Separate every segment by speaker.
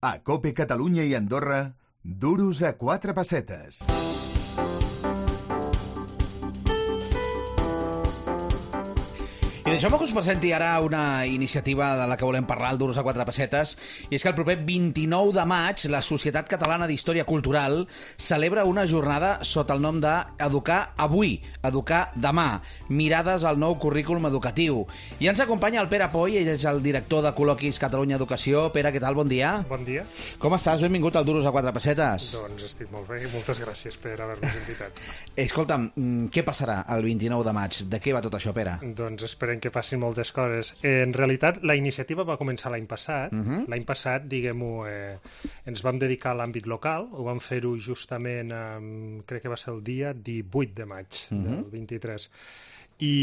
Speaker 1: A COPE Catalunya i Andorra, duros a 4 pessetes.
Speaker 2: I deixeu-me que us presenti ara una iniciativa de la que volem parlar, el Duros a 4 pessetes, i és que el proper 29 de maig la Societat Catalana d'Història Cultural celebra una jornada sota el nom d'Educar Avui, Educar Demà, mirades al nou currículum educatiu. I ens acompanya el Pere Poy, ell és el director de Col·loquis Catalunya Educació. Pere, què tal? Bon dia.
Speaker 3: Bon dia.
Speaker 2: Com estàs? Benvingut al Duros a 4 pessetes.
Speaker 3: Doncs estic molt bé i moltes gràcies per haver-nos invitat.
Speaker 2: Escolta'm, què passarà el 29 de maig? De què va tot això, Pere?
Speaker 3: Doncs esperem que passin moltes coses. En realitat, la iniciativa va començar l'any passat. L'any passat, diguem-ho, ens vam dedicar a l'àmbit local. Ho vam fer-ho justament, crec que va ser el dia 18 de maig del 23. I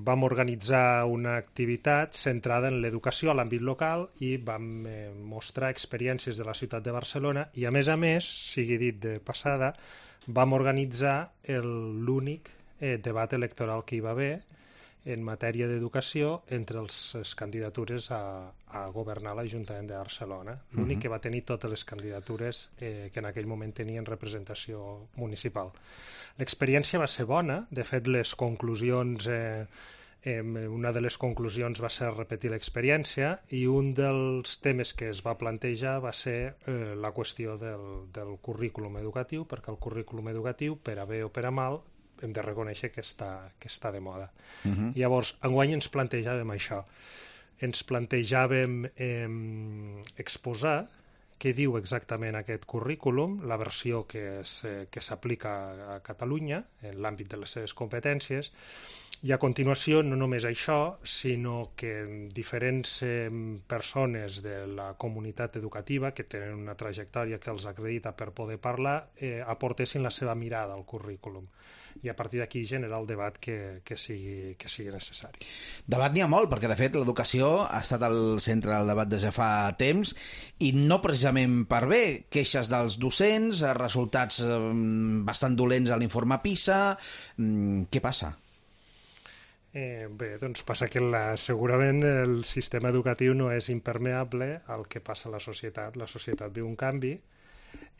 Speaker 3: vam organitzar una activitat centrada en l'educació a l'àmbit local i vam mostrar experiències de la ciutat de Barcelona i, a més, sigui dit de passada, vam organitzar l'únic debat electoral que hi va haver en matèria d'educació entre les candidatures a governar l'Ajuntament de Barcelona. L'únic que va tenir totes les candidatures que en aquell moment tenien representació municipal. L'experiència va ser bona. De fet, les conclusions... una de les conclusions va ser repetir l'experiència i un dels temes que es va plantejar va ser la qüestió del currículum educatiu, perquè el currículum educatiu, per a bé o per a mal, hem de reconèixer que està de moda. Llavors, enguany ens plantejàvem això. Ens plantejàvem exposar què diu exactament aquest currículum, la versió que s'aplica a Catalunya, en l'àmbit de les seves competències, i a continuació no només això, sinó que diferents persones de la comunitat educativa que tenen una trajectòria que els acredita per poder parlar aportessin la seva mirada al currículum i a partir d'aquí generar el debat que sigui necessari.
Speaker 2: Debat n'hi ha molt, perquè de fet l'educació ha estat al centre del debat des de fa temps i no precisament per bé. Queixes dels docents, resultats bastant dolents a l'informe PISA. Què passa?
Speaker 3: Bé, doncs passa que segurament el sistema educatiu no és impermeable al que passa a la societat. La societat viu un canvi,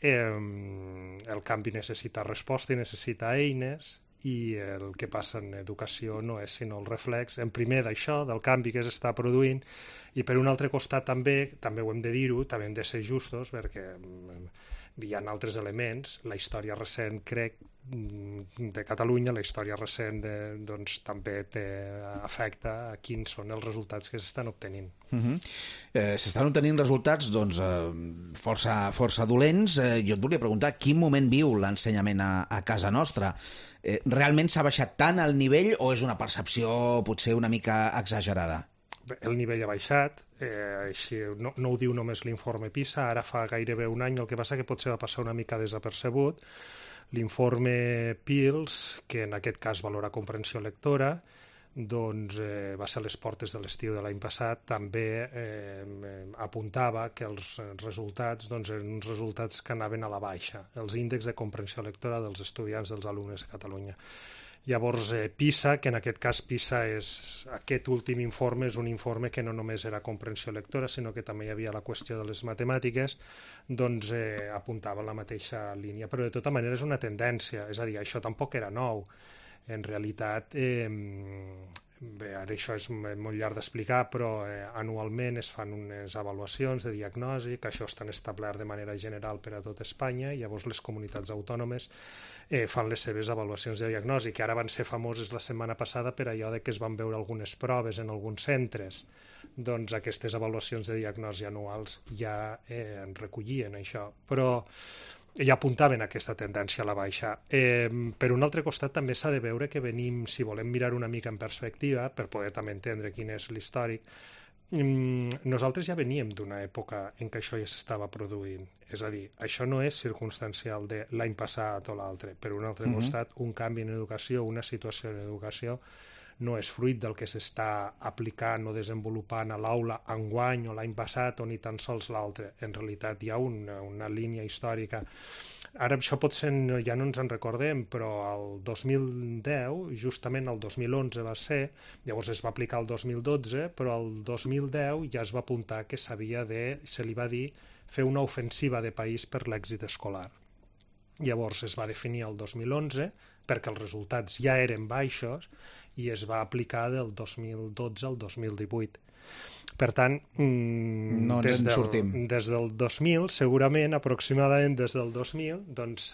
Speaker 3: el canvi necessita resposta i necessita eines, i el que passa en educació no és sinó el reflex, en primer d'això, del canvi que s'està produint, i per un altre costat també ho hem de dir-ho, també hem de ser justos, perquè hi ha altres elements. La història recent, crec, de Catalunya, la història recent doncs, també afecta a quins són els resultats que s'estan obtenint.
Speaker 2: S'estan obtenint resultats doncs, força dolents. Jo et volia preguntar, quin moment viu l'ensenyament a casa nostra? Realment s'ha baixat tant el nivell o és una percepció potser una mica exagerada?
Speaker 3: El nivell ha baixat, així, no ho diu només l'informe PISA, ara fa gairebé un any, el que passa que potser va passar una mica desapercebut. L'informe PILS, que en aquest cas valora comprensió lectora, doncs va ser a les portes de l'estiu de l'any passat, també apuntava que els resultats eren uns resultats que anaven a la baixa, els índexs de comprensió lectora dels estudiants, dels alumnes a Catalunya. Llavors, PISA, que en aquest cas aquest últim informe és un informe que no només era comprensió lectora, sinó que també hi havia la qüestió de les matemàtiques, doncs apuntava en la mateixa línia. Però de tota manera és una tendència, és a dir, això tampoc era nou. En realitat, bé, ara això és molt llarg d'explicar, però anualment es fan unes avaluacions de diagnosi, que això està establert de manera general per a tot Espanya, i llavors les comunitats autònomes fan les seves avaluacions de diagnosi, que ara van ser famoses la setmana passada per allò de que es van veure algunes proves en alguns centres. Doncs aquestes avaluacions de diagnosi anuals ja en recollien això, però ja apuntaven aquesta tendència a la baixa. Per un altre costat també s'ha de veure que venim, si volem mirar una mica en perspectiva, per poder també entendre quin és l'històric, nosaltres ja veníem d'una època en què això ja s'estava produint. És a dir, això no és circumstancial de l'any passat o l'altre. Per un altre costat, un canvi en educació, una situació en educació, no és fruit del que s'està aplicant o desenvolupant a l'aula enguany o l'any passat o ni tan sols l'altre. En realitat hi ha una línia històrica. Ara això potser ja no ens en recordem, però el 2010, justament el 2011 va ser, llavors es va aplicar el 2012, però el 2010 ja es va apuntar que se li va dir, fer una ofensiva de país per l'èxit escolar. Llavors es va definir el 2011 perquè els resultats ja eren baixos i es va aplicar del 2012 al 2018. Per tant,
Speaker 2: no ens en sortim.
Speaker 3: Des del 2000, segurament, aproximadament des del 2000, doncs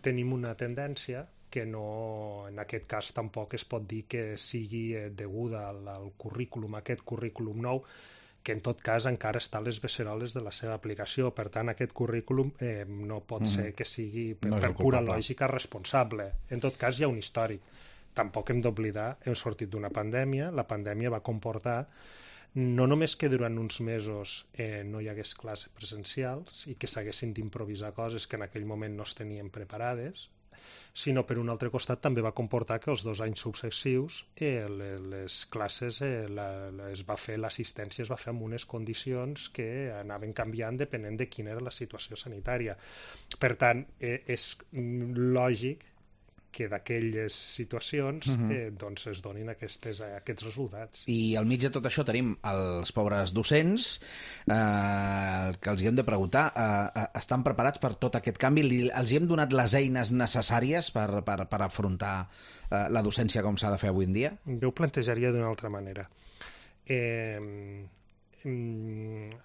Speaker 3: tenim una tendència que no, en aquest cas tampoc es pot dir que sigui deguda al currículum, aquest currículum nou, que en tot cas encara està a les beceroles de la seva aplicació. Per tant, aquest currículum no pot ser que sigui per pura lògica responsable. En tot cas, hi ha un històric. Tampoc hem d'oblidar, hem sortit d'una pandèmia, la pandèmia va comportar no només que durant uns mesos no hi hagués classes presencials i que s'haguessin d'improvisar coses que en aquell moment no es tenien preparades, sinó per un altre costat també va comportar que els 2 anys successius les classes l'assistència es va fer amb unes condicions que anaven canviant depenent de quina era la situació sanitària. Per tant, és lògic que d'aquelles situacions doncs es donin aquests resultats.
Speaker 2: I al mig de tot això tenim els pobres docents que els hi hem de preguntar, estan preparats per tot aquest canvi? Els hi hem donat les eines necessàries per afrontar la docència com s'ha de fer avui en dia?
Speaker 3: Jo ho plantejaria d'una altra manera.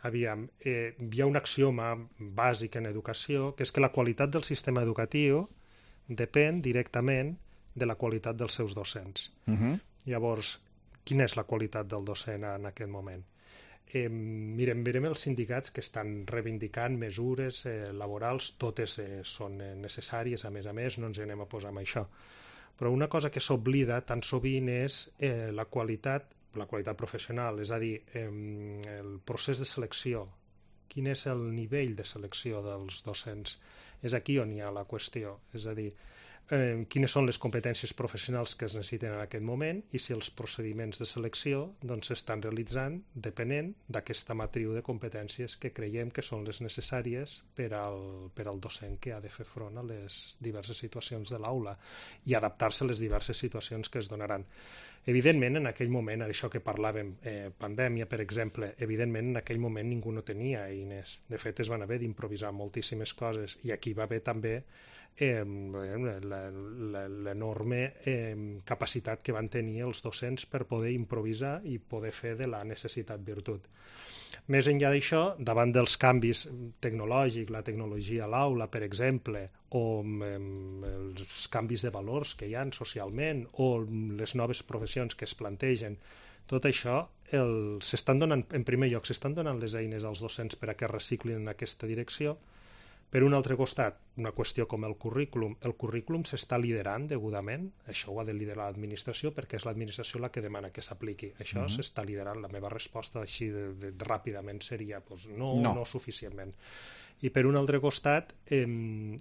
Speaker 3: Aviam, hi ha un axioma bàsic en educació, que és que la qualitat del sistema educatiu depèn directament de la qualitat dels seus docents. Llavors, quina és la qualitat del docent en aquest moment? Mirem els sindicats que estan reivindicant mesures laborals, totes són necessàries, a més, no ens anem a posar amb això. Però una cosa que s'oblida tan sovint és la qualitat professional, és a dir, el procés de selecció. Quin és el nivell de selecció dels docents? És aquí on hi ha la qüestió, és a dir, quines són les competències professionals que es necessiten en aquest moment i si els procediments de selecció s'estan realitzant depenent d'aquesta matriu de competències que creiem que són les necessàries per al docent que ha de fer front a les diverses situacions de l'aula i adaptar-se a les diverses situacions que es donaran. Evidentment, en aquell moment, això que parlàvem, pandèmia, per exemple, evidentment en aquell moment ningú no tenia eines. De fet, es van haver d'improvisar moltíssimes coses i aquí va haver també l'enorme capacitat que van tenir els docents per poder improvisar i poder fer de la necessitat virtut. Més enllà d'això, davant dels canvis tecnològics, la tecnologia a l'aula, per exemple, o els canvis de valors que hi ha socialment, o les noves professions que es plantegen, tot això s'estan donant, en primer lloc, s'estan donant les eines als docents per a que reciclin en aquesta direcció. Per un altre costat, una qüestió com el currículum s'està liderant degudament, això ho ha de liderar l'administració perquè és l'administració la que demana que s'apliqui. Això s'està liderant. La meva resposta així ràpidament seria no suficientment. I per un altre costat,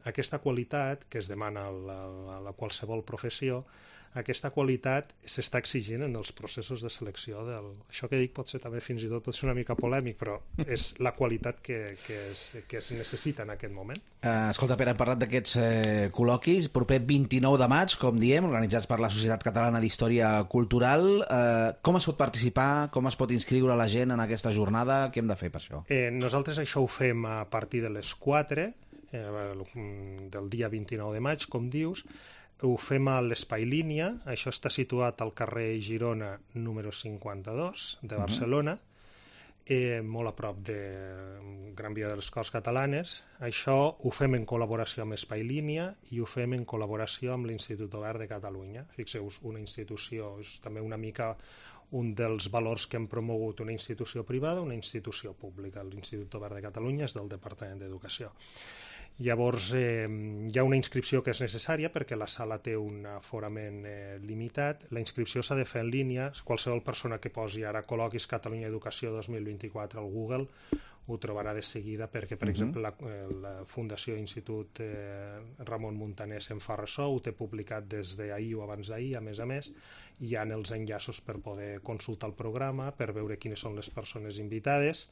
Speaker 3: aquesta qualitat que es demana a la qualsevol professió, aquesta qualitat s'està exigint en els processos de selecció. Això que dic potser també fins i tot pot ser una mica polèmic, però és la qualitat que es necessita en aquest moment.
Speaker 2: Escolta, Pere, hem parlat d'aquests col·loquis, proper 29 de maig, com diem, organitzats per la Societat Catalana d'Història Cultural. Com es pot participar? Com es pot inscriure la gent en aquesta jornada? Què hem de fer per això?
Speaker 3: Nosaltres això ho fem a partir de les 4 del dia 29 de maig, com dius. Ho fem a l'Espai Línia, això està situat al carrer Girona número 52 de Barcelona, molt a prop de Gran Via de les Corts Catalanes. Això ho fem en col·laboració amb Espai Línia i ho fem en col·laboració amb l'Institut Obert de Catalunya. Fixeu-vos, una institució, és també una mica un dels valors que hem promogut, una institució privada, una institució pública. L'Institut Obert de Catalunya és del Departament d'Educació. Llavors, hi ha una inscripció que és necessària perquè la sala té un aforament limitat. La inscripció s'ha de fer en línia. Qualsevol persona que posi ara col·loquis Catalunya Educació 2024 al Google ho trobarà de seguida perquè, per exemple, la Fundació Institut Ramon Muntaner se'n fa ressò, ho té publicat des d'ahir o abans d'ahir, a més, hi ha els enllaços per poder consultar el programa, per veure quines són les persones invitades.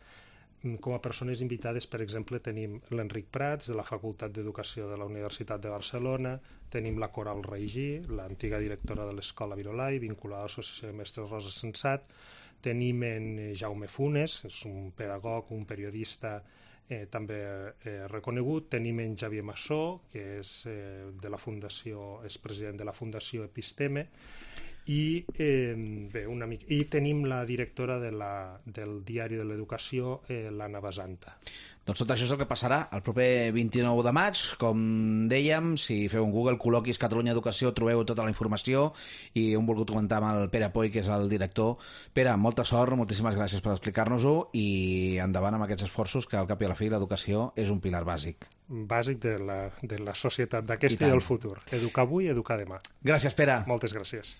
Speaker 3: Com a persones invitades, per exemple, tenim l'Enric Prats, de la Facultat d'Educació de la Universitat de Barcelona, tenim la Coral Reigí, l'antiga directora de l'Escola Virolai, vinculada a l'Associació de Mestres Rosa Sensat, tenim en Jaume Funes, és un pedagog, un periodista també reconegut, tenim en Xavier Massó, que és de la Fundació, és president de la Fundació Episteme, i tenim la directora del Diari de l'Educació, l'Anna Basanta.
Speaker 2: Doncs tot això és el que passarà el proper 29 de maig. Com dèiem, si feu un Google, col·loquis Catalunya Educació, trobeu tota la informació, i hem volgut comentar amb el Pere Poy, que és el director. Pere, molta sort, moltíssimes gràcies per explicar-nos-ho, i endavant amb aquests esforços, que al cap i a la fi l'educació és un pilar bàsic.
Speaker 3: Bàsic de la societat d'aquesta i del futur. Educar avui, educar demà.
Speaker 2: Gràcies, Pere.
Speaker 3: Moltes gràcies.